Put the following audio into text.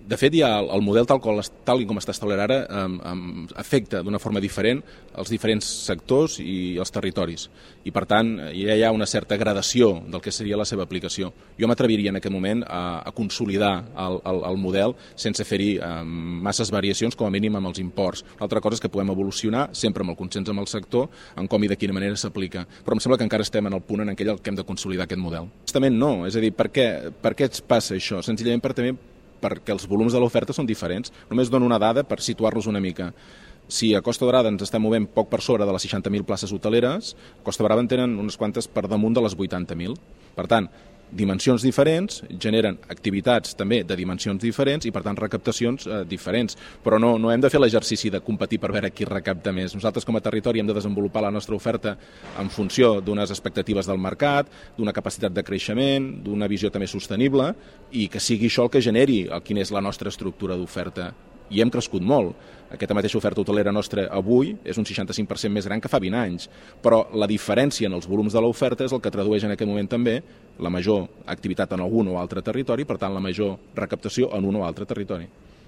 De fet, ja el model tal com està establert ara afecta d'una forma diferent els diferents sectors i els territoris. I, per tant, ja hi ha una certa gradació del que seria la seva aplicació. Jo m'atreviria en aquest moment a consolidar el model sense fer-hi masses variacions, com a mínim amb els imports. Una altra cosa és que podem evolucionar, sempre amb el consens amb el sector, en com i de quina manera s'aplica. Però em sembla que encara estem en el punt en què hem de consolidar aquest model. Justament no, és a dir, per què ens passa això? Senzillament perquè els volums de l'oferta són diferents. Només dono una dada per situar-los una mica. Si a Costa Daurada ens estem movent poc per sobre de les 60.000 places hoteleres, a Costa Brava en tenen unes quantes per damunt de les 80.000. Per tant, dimensions diferents generen activitats també de dimensions diferents i, per tant, recaptacions diferents. Però no hem de fer l'exercici de competir per veure qui recapta més. Nosaltres, com a territori, hem de desenvolupar la nostra oferta en funció d'unes expectatives del mercat, d'una capacitat de creixement, d'una visió també sostenible, i que sigui això el que generi quina és la nostra estructura d'oferta. I hem crescut molt. Aquesta mateixa oferta hotelera nostra avui és un 65% més gran que fa 20 anys, però la diferència en els volums de l'oferta és el que tradueix en aquest moment també la major activitat en algun o altre territori, per tant la major recaptació en un o altre territori.